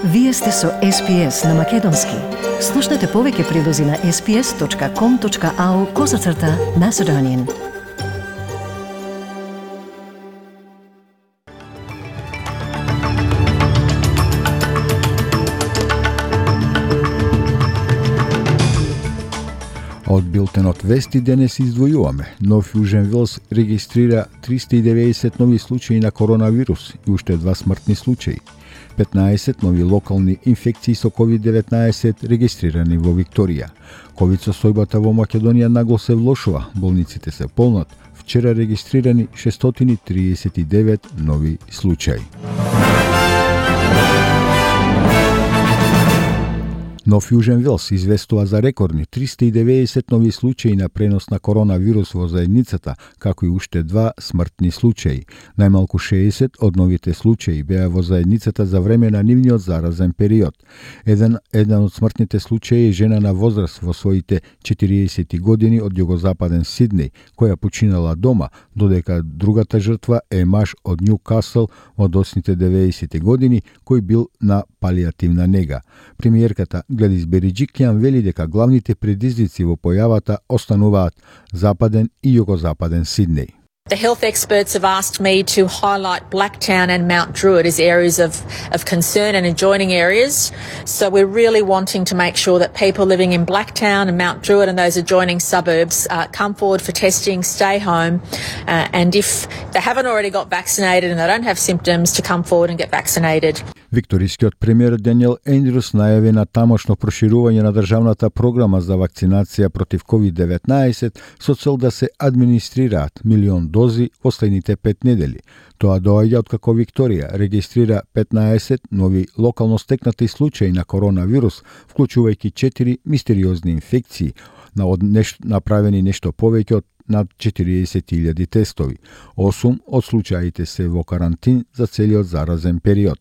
Вие сте со SPS на Македонски. Слушнете повеќе прилози на sps.com.au/Macedonian. Од билтенот Вести денес издвојуваме. Нов Јужен Велс регистрира 390 нови случаи на коронавирус и уште 2 смртни случаи. 15 нови локални инфекции со COVID-19 регистрирани во Викторија. Ковид состојбата во Македонија нагло се влошува, болниците се полнат. Вчера регистрирани 639 нови случаи. Нов Јужен Велс известува за рекордни 390 нови случаи на пренос на коронавирус во заедницата, како и уште 2 смртни случаи. Најмалку 60 од новите случаи беа во заедницата за време на нивниот заразен период. Еден од смртните случаи е жена на возраст во своите 40 години од југозападен Сиднеј, која починала дома, додека другата жртва е маж од Њукасл во досните 90 години, кој бил на палијативна нега. Премиерката Гледис Бериџикјан вели дека главните предизвици во појавата остануваат западен и југозападен Сиднеј. The health experts have asked me to highlight Blacktown and Mount Druitt as areas of concern and adjoining areas. So we're really wanting to make sure that people living in Blacktown and Mount Druitt and those adjoining suburbs come forward for testing, stay home, and if they haven't already got vaccinated and they don't have symptoms, to come forward and get vaccinated. Викторискиот премиер Даниел Ендрюс најави на тамошно проширување на државната програма за вакцинација против COVID-19 со цел да се администрираат 1 милион дози во следните 5 недели. Тоа доаѓа откако Викторија регистрира 15 нови локално стекнати случаи на коронавирус, вклучувајќи 4 мистериозни инфекции, направени нешто повеќе од над 40.000 тестови. 8 од случаите се во карантин за целиот заразен период.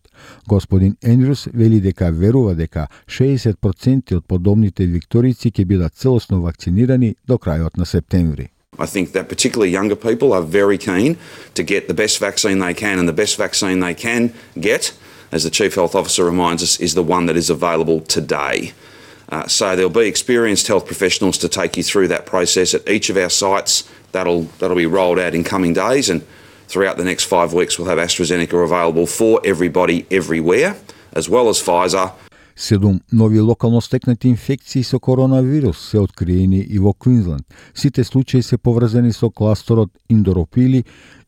Господин Ендрюс вели дека верува дека 60% од подобните викторици ќе бидат целосно вакцинирани до крајот на септември. I think that particularly younger people are very keen to get the best vaccine they can, and the best vaccine they can get, as the Chief Health Officer reminds us, is the one that is available today. So there'll be experienced health professionals to take you through that process at each of our sites. That'll be rolled out in coming days, and throughout the next 5 weeks we'll have AstraZeneca available for everybody everywhere, as well as Pfizer. 7 нови локално стекнати инфекции со коронавирус се откриени и во Квинсленд. Сите случаи се поврзани со кластерот Индоропили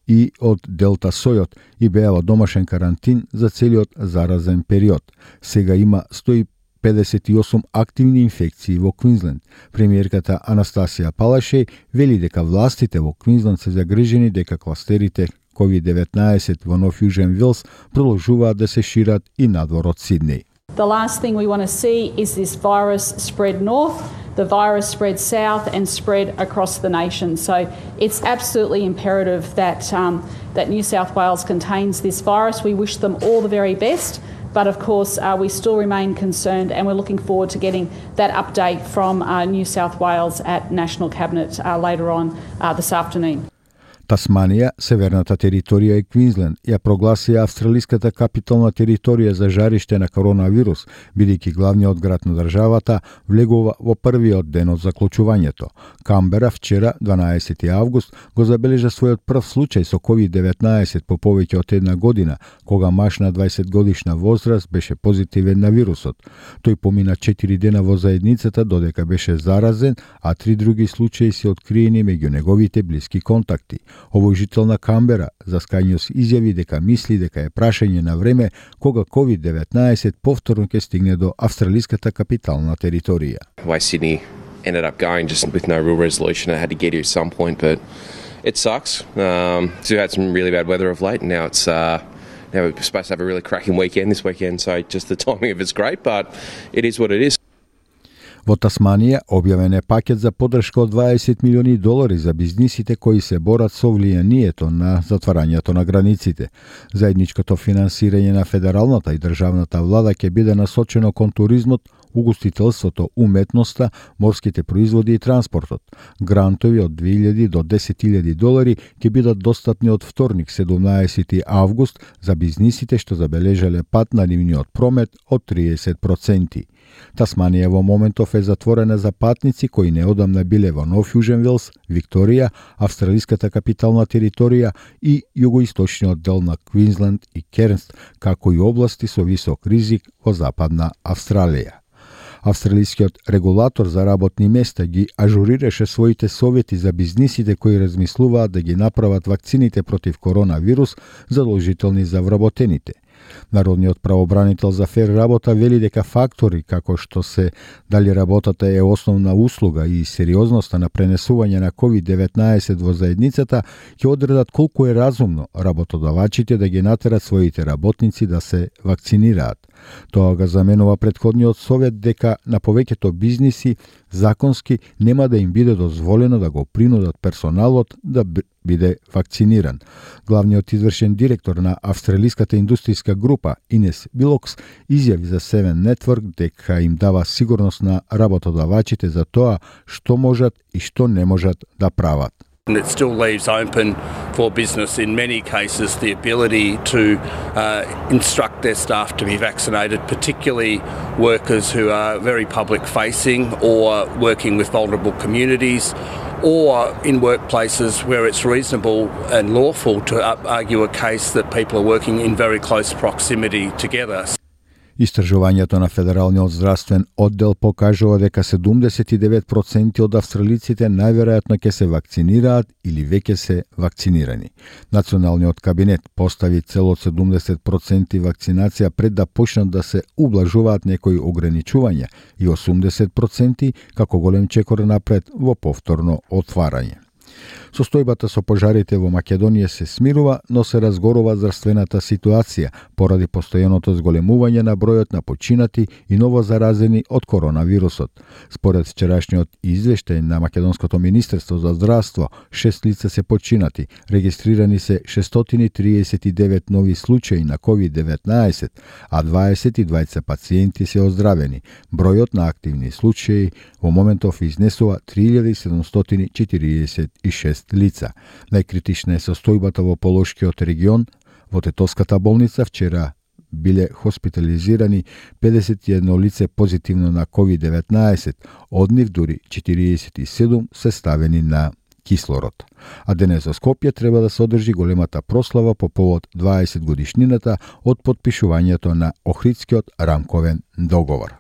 и од Делта сојот и беа во домашен карантин за целиот заразен период. Сега има 158 активни инфекции во Квинсленд. Премиерката Анастасија Палашеј вели дека властите во Квинсленд се загрижени дека кластерите COVID-19 во Нов Јужен Велс продолжуваат да се шират и надвор од Сиднеј. The last thing we want to see is this virus spread north, the virus spread south and spread across the nation. So it's absolutely imperative that that New South Wales contains this virus. We wish them all the very best, but of course we still remain concerned, and we're looking forward to getting that update from New South Wales at National Cabinet later on this afternoon. Тасманија, северната територија и Квинсленд ја прогласија австралиската капитална територија за жариште на коронавирус, бидејќи главниот град на државата влегува во првиот ден од заклучувањето. Камбера вчера, 12 август, го забележа својот прв случај со COVID-19 по повеќе од една година, кога маж на 20 годишна возраст беше позитивен на вирусот. Тој помина 4 дена во заедницата додека беше заразен, а 3 други случаи се откриени меѓу неговите блиски контакти. Овој жител на Камбера за Sky News изјави дека мисли дека е прашање на време кога COVID-19 повторно ќе стигне до австралиската капитална територија. Way Sydney ended up going just with no real resolution. It had to get here at some point, but it sucks. So we had some really bad weather of late, and now it's now we're supposed to have a really cracking weekend this weekend. So just the timing of it's great, but it is what it is. Во Тасманија објавен е пакет за поддршка од $20 милиони за бизнисите кои се борат со влијанието на затварањето на границите. Заедничкото финансирање на федералната и државната влада ќе биде насочено кон туризмот, угостителството, уметноста, морските производи и транспортот. Грантови од 2.000 до 10.000 долари ќе бидат достапни од вторник 17 август за бизнисите што забележале пат на нивниот промет од 30%. Тасманија во моментов е затворена за патници кои неодамна биле во Нов Јужен Велс, Викторија, австралиската капитална територија и југоисточниот дел на Квинсленд и Кернс, како и области со висок ризик во западна Австралија. Австралискиот регулатор за работни места ги ажурираше своите совети за бизнисите кои размислуваат да ги направат вакцините против коронавирус задолжителни за вработените. Народниот правобранител за фер работа вели дека фактори како што се дали работата е основна услуга и сериозноста на пренесување на COVID-19 во заедницата ќе одредат колку е разумно работодавачите да ги натерат своите работници да се вакцинираат. Тоа го заменува претходниот совет дека на повеќето бизниси законски нема да им биде дозволено да го принудат персоналот да биде вакциниран. Главниот извршен директор на австралиската индустријска група Инес Билокс изјави за Seven Network дека им дава сигурност на работодавачите за тоа што можат и што не можат да прават. And it still leaves open for business in many cases the ability to instruct their staff to be vaccinated, particularly workers who are very public facing or working with vulnerable communities, or in workplaces where it's reasonable and lawful to argue a case that people are working in very close proximity together. Истражувањето на Федералниот здравствен оддел покажува дека 79% од австралиците најверојатно ќе се вакцинираат или веќе се вакцинирани. Националниот кабинет постави цел од 70% вакцинација пред да почнат да се ублажуваат некои ограничувања и 80% како голем чекор напред во повторно отварање. Состојбата со пожарите во Македонија се смирува, но се разгорува здравствената ситуација поради постојаното зголемување на бројот на починати и новозаразени од коронавирусот. Според вчерашниот извештај на Македонското министерство за здравство, 6 лица се починати, регистрирани се 639 нови случаи на COVID-19, а 22 пациенти се оздравени. Бројот на активни случаи во моментов изнесува 3746 лица. Најкритична е состојбата во Полошкиот регион. Во Тетовската болница вчера биле хоспитализирани 51 лице позитивно на COVID-19, од нив дури 47 се ставени на кислород. А денес во Скопје треба да се одржи големата прослава по повод 20 годишнината од потпишувањето на Охридскиот рамковен договор.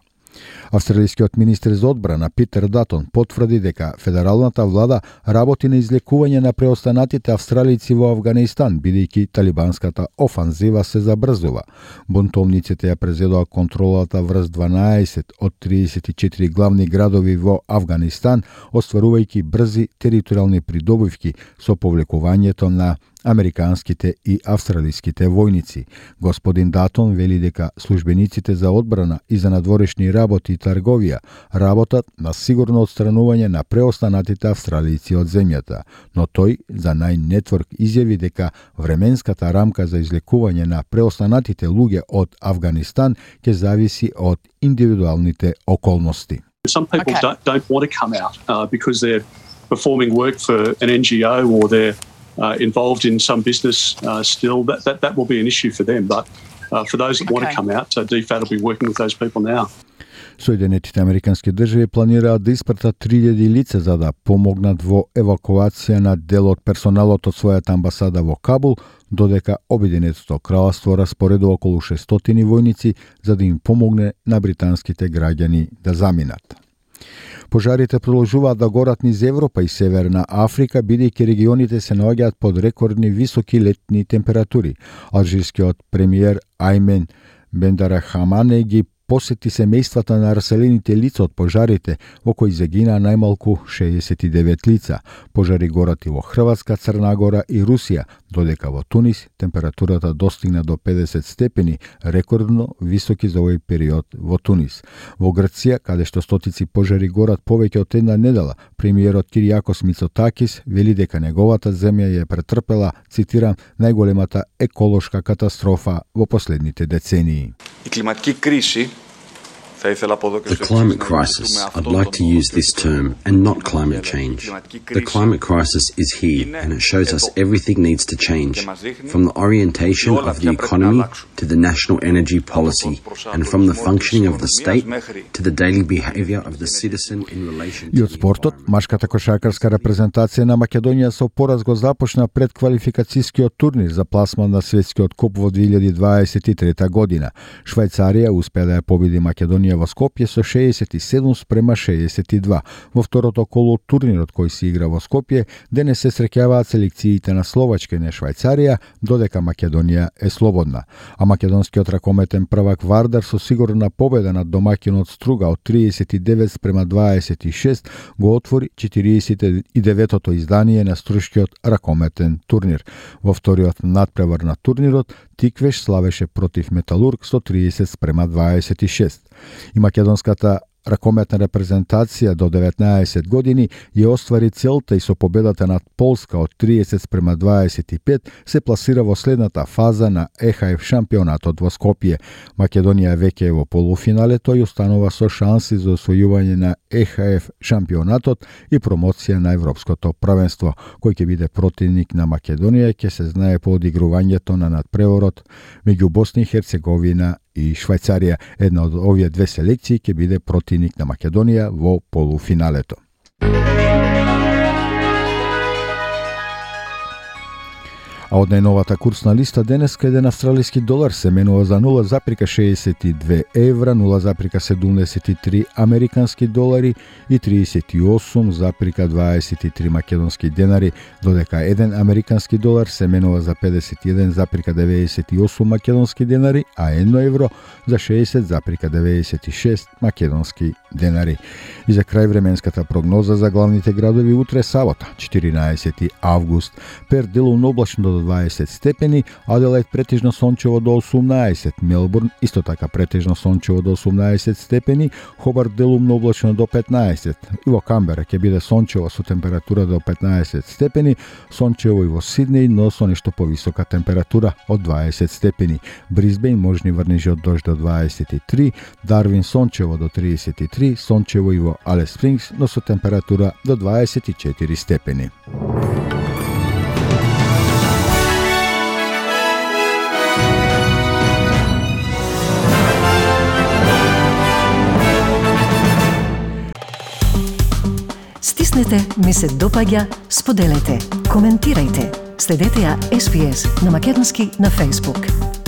Австралискиот министер за одбрана Питер Датон потврди дека федералната влада работи на излекување на преостанатите австралици во Авганистан, бидејќи талибанската офанзива се забрзува. Бунтовниците ја презедоа контролата врз 12 од 34 главни градови во Авганистан, остварувајќи брзи територијални придобивки со повлекувањето на американските и австралиските војници. Господин Датон вели дека службениците за одбрана и за надворешни работи и трговија работат на сигурно отстранување на преостанатите австралици од земјата, но тој за Nine Network изјави дека временската рамка за излекување на преостанатите луѓе од Авганистан ќе зависи од индивидуалните околности. Some people don't want to come out because they're performing work for an NGO or they're involved in some business still. That will be an issue for them. But for those that want to come out, DFAT will be working with those people now. Соединетите американски држави планираат да испратат 3000 лица за да помогнат во евакуација на дел од персоналот од својата амбасада во Кабул, додека Обединетото кралство распоредува околу 600 војници за да им помогне на британските граѓани да заминат. Пожарите продолжуваат да горат низ Европа и Северна Африка, бидејќи регионите се наоѓаат под рекордни високи летни температури. Алжирскиот премиер Аймен Бендарахамане ги посети семејствата на раселените лица од пожарите, во кои загинаа најмалку 69 лица. Пожари горат и во Хрватска, Црна Гора и Русија, додека во Тунис температурата достигна до 50 степени, рекордно високи за овој период во Тунис. Во Грција, каде што стотици пожари горат повеќе од една недела, премиерот Киријакос Мицотакис вели дека неговата земја ја претрпела, цитирам, најголемата еколошка катастрофа во последните децении. Η κλιματική κρίση The climate crisis, I'd like to use this term and not climate change. The climate crisis is here and it shows us everything needs to change, from the orientation of the economy to the national energy policy, and from the functioning of the state to the daily behaviour of the citizen in relation to И од спортот, машката кошаркарска репрезентација на Македонија со пораз го започна пред квалификацијскиот турнир за пласман на светскиот куп во 2023 година. Швајцарија успеа да ја победи Македонија во Скопје со 67-62. Во второто коло од турнирот кој се игра во Скопје, денес се среќаваат селекциите на Словачка и на Швајцарија, додека Македонија е слободна. А македонскиот ракометен првак Вардар со сигурна победа над домаќинот Струга од 39-26 го отвори 49-тото издание на струшкиот ракометен турнир. Во вториот надпревар на турнирот Тиквеш славеше против Металург со 30-26. И македонската ракометна репрезентација до 19 години ја оствари целта и со победата над Полска од 30-25 се пласира во следната фаза на ЕХФ шампионатот во Скопје. Македонија веќе е во полуфиналето и останува со шанси за освојување на ЕХФ шампионатот и промоција на Европското првенство. Кој ќе биде противник на Македонија ќе се знае по одигрувањето на надпреворот меѓу Босна и Херцеговина и Швајцарија. Една од овие две селекции ќе биде противник на Македонија во полуфиналето. А од најновата курсна листа денеска еден австралиски долар се менува за 0,62 евра, 0,73 американски долари и 38,23 македонски денари, додека еден американски долар се менува за 51,98 македонски денари, а 1 евро за 60,96 македонски денари. И за крај временската прогноза за главните градови утре сабота, 14 август, Перт делумно облачно до 20 степени, Аделаид претежно сончево до 18, Мелбурн исто така претежно сончево до 18 степени, Хобарт делумно облачно до 15, и во Камбера ќе биде сончево со температура до 15 степени, сончево и во Сиднеј, но со нешто повисока температура од 20 степени. Брисбејн можни врнежи од дожд до 23, Дарвин сончево до 33, сончево и во Алис Спрингс, но со температура до 24 степени. Стиснете, ми се допаѓа, споделете, коментирајте. Следете ја SPS на Македонски на Facebook.